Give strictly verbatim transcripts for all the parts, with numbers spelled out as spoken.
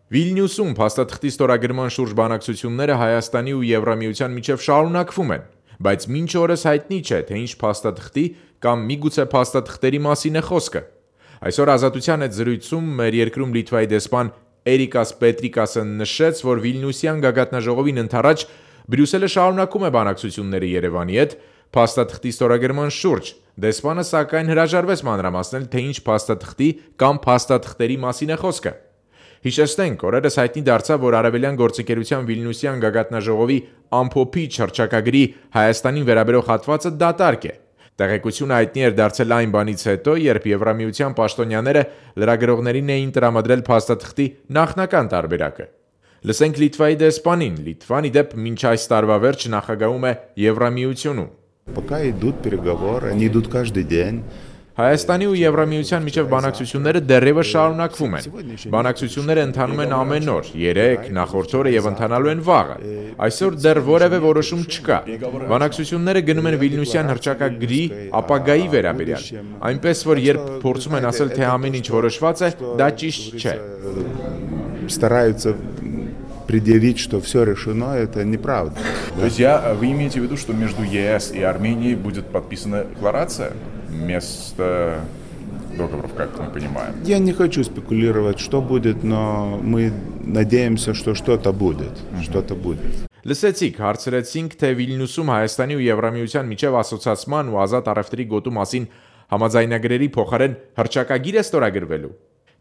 Վիլնյուսում փաստաթղթի ստորագրման շուրջ բանակցությունները Հայաստանի ու Եվրամիության միջև շարունակվում են, բայց մինչ օրս հայտնի չէ, թե ինչ փաստաթղթի կամ միգուցե փաստաթղթերի մասին է խոսքը։ Այսօր Ազատության հետ զրույցում մեր երկրում Լիտվայի դեսպան Էրիկաս Պետրիկասը նշեց, որ Վիլնյուսյան գագաթնաժողովին ընդառաջ Բրյուսելը շարունակում է բանակցությունները Երևանի հետ փաստաթղթի ստորագրման շուրջ։ Դեսպանը սակայն հրաժարվեց մանրամասնել, թե ինչ փաստաթղթի կամ փաստաթղթերի մասին է խոսքը։ Հիշեցնենք, օրերս հայտնի դարձավ, որ Արևելյան գործընկերության Վիլնյուսյան գագաթնաժողովի ամփոփիչ հռչակագրի Հայաստանին վերաբերող հատվածը դատարկ է։ Տեղեկությունը հայտնի էր դարձել այն բանից հետո, երբ Եվրամիության պաշտոնյաները լրագրողներին էին տրամադրել փաստաթղթի նախնական տարբերակը։ Լսենք Լիտվայի դեսպանին։ Լիտվան, ի դեպ, մինչ այս տարվա վերջ նախագահում է Եվրամիությունում։ Пока идут переговоры, они идут каждый день. Հայաստանի ու Եվրամիության միջև բանակցությունները դեռևս շարունակվում են։ Բանակցությունները ընթանում են ամեն օր, երեկ, նախորդ օրը եւ ընթանալու են վաղը։ Այսօր դեռ որևէ որոշում չկա։ Բանակցությունները գնում են Վիլնյուսյան հռչակագրի ապագայի վերաբերյալ։ Այնպես որ երբ փորձում են ասել, թե ամեն ինչ որոշված է, դա ճիշտ չէ։ Стараются предъявить, что все решено, это неправда. То есть я, вы имеете в виду, что между ЕС и Арменией будет подписана декларация вместо договоров, как мы понимаем? Я не хочу спекулировать, что будет, но мы надеемся, что что-то будет, что-то будет. Լսեցիք, հարցրեցինք, թե Վիլնյուսում Հայաստանի ու Եվրամիության միջև ասոցիացման ու ազատ առևտրի գոտու մասին համաձայնագրերի փոխարեն հռչակագիր է ստորագրվելու։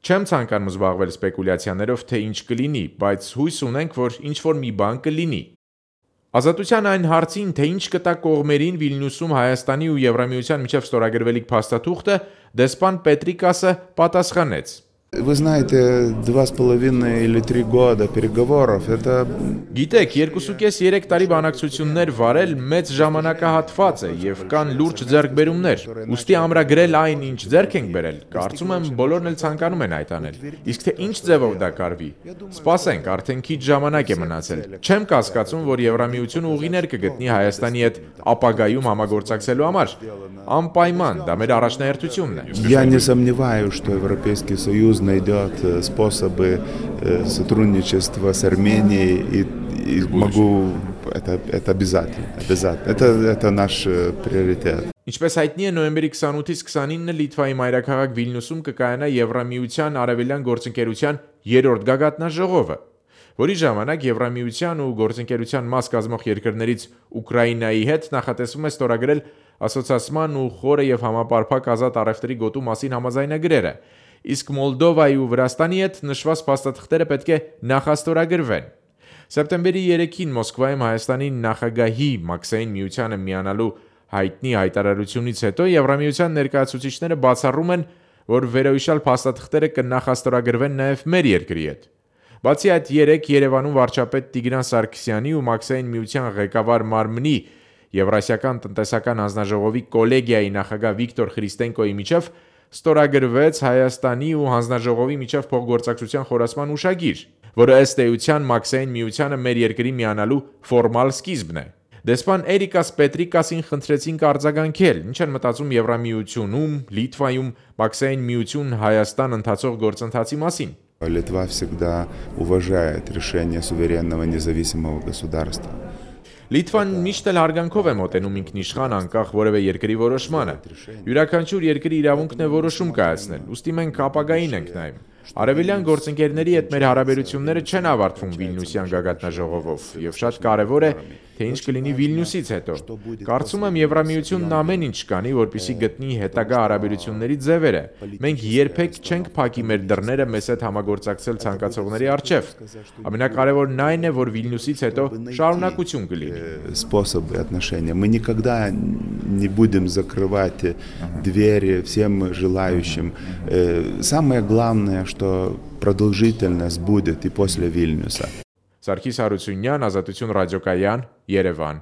Չեմ ցանկանում զբաղվել սպեկուլյացիաներով, թե ինչ կլինի, բայց հույս ունենք, որ ինչ-որ մի բան կլինի։ Ազատության այն հարցին, թե ինչ կտա кողմերին Վիլնյուսում Հայաստանի ու Եվրամիության միջև ստորագրվելիք փաստաթուղթը, դեսպան Պետրիկասը պատասխանեց. Вы знаете, два с половиной или три года переговоров, это... Գիտեք, երկուսուկես երեք տարի բանակցություններ վարել մեծ ժամանակահատված է եւ կան լուրջ ձեռքբերումներ։ Ուստի ամրագրել այն, ինչ ձեռք ենք բերել, կարծում եմ բոլորն էլ ցանկանում են այդ անել։ Իսկ թե ինչ ձևով դա կարվի, սպասենք, արդեն քիչ ժամանակ է մնացել։ Չեմ կասկածում, որ Եվրամիությունը ուղիներ կգտնի Հայաստանի հետ ապագայում համագործակցելու համար։ Անպայման, դա մեր առաջնահերթությունն է։ Я не сомневаюсь, что Европейский Союз найдет способы сотрудничества с Арменией, и, и могу, это, это обязательно, обязательно. Это, это наш приоритет. Ինչպես հայտնի է, նոյեմբերի քսանութից քսանինը Լիտվայի մայրաքաղաք Վիլնյուսում կկայանա Եվրամիության Արևելյան գործընկերության երրորդ գագաթնաժողովը, որի ժամանակ Եվրամիության ու գործընկերության մաս կազմող երկրներից Ուկրաինայի հետ նախատեսվում է ստորագրել ասոցիացման ու խորը եւ համապարփակ ազատ առևտրի գոտու մասին համաձայնագրերը, իսկ Մոլդովայի ու Վրաստանի հետ նշված փաստաթղթերը պետք է նախաստորագրվեն։ Սեպտեմբերի երեքին Մոսկվայում Հայաստանի նախագահի Մաքսային միությանը միանալու հայտնի հայտարարությունից հետո Եվրամիության ներկայացուցիչները բացառում են, որ վերոհիշյալ փաստաթղթերը կնախաստորագրվեն նաև մեր երկրի հետ։ Բացի այդ, երեք Երևանում վարչապետ Տիգրան Սարգսյանի ու Մաքսային միության ղեկավար մարմնի Եվրասիական տնտեսական հանձնաժողովի կոլեգիայի նախագահ Վիկտոր Խրիստենկոյի միջև ստորագրվեց Հայաստանի ու հանձնաժողովի միջև փոխգործակցության խորացման ուշագիր, որը ըստ էության Մաքսային միությանը մեր երկրի միանալու ֆորմալ սկիզբն է։ Դեսպան Էրիկաս Պետրիկասին խնդրեցինք արձագանքել, ինչ են մտածում Եվրամիությունում, Լիտվայում, Մաքսային միություն Հայաստան ընթացող գործընթացի մասին։ Литва всегда уважает решение суверенного независимого государства. Լիտվան միշտ էլ հարգանքով է մոտենում ինքնիշխան անկախ որևէ երկրի որոշմանը։ Յուրաքանչյուր երկրի իրավունքն է որոշում կայացնել, ուստի մենք ապագային ենք նայում։ Արևելյան գործընկերների հետ մեր հարաբերությունները չեն ավարտվում Վիլնյուսյան գագաթնաժողովով, եւ շատ կարեւոր է, թե ինչ կլինի Վիլնյուսից հետո։ Կարծում եմ Եվրամիությունն ամեն ինչ կանի, որպեսզի գտնի հետագա հարաբերությունների ձևերը։ Մենք երբեք չենք փակի մեր դռները մեզ հետ համագործակցել ցանկացողների առջև։ Ամենակարևորն այն է, որ Վիլնյուսից հետո շարունակություն կլինի։ Способы отношения. Мы никогда не будем закрывать двери всем желающим. Самое главное, что продолжительность будет и после Вильнюса. Սարգիս Հարությունյան, Ազատություն ռադիոկայան, Երևան։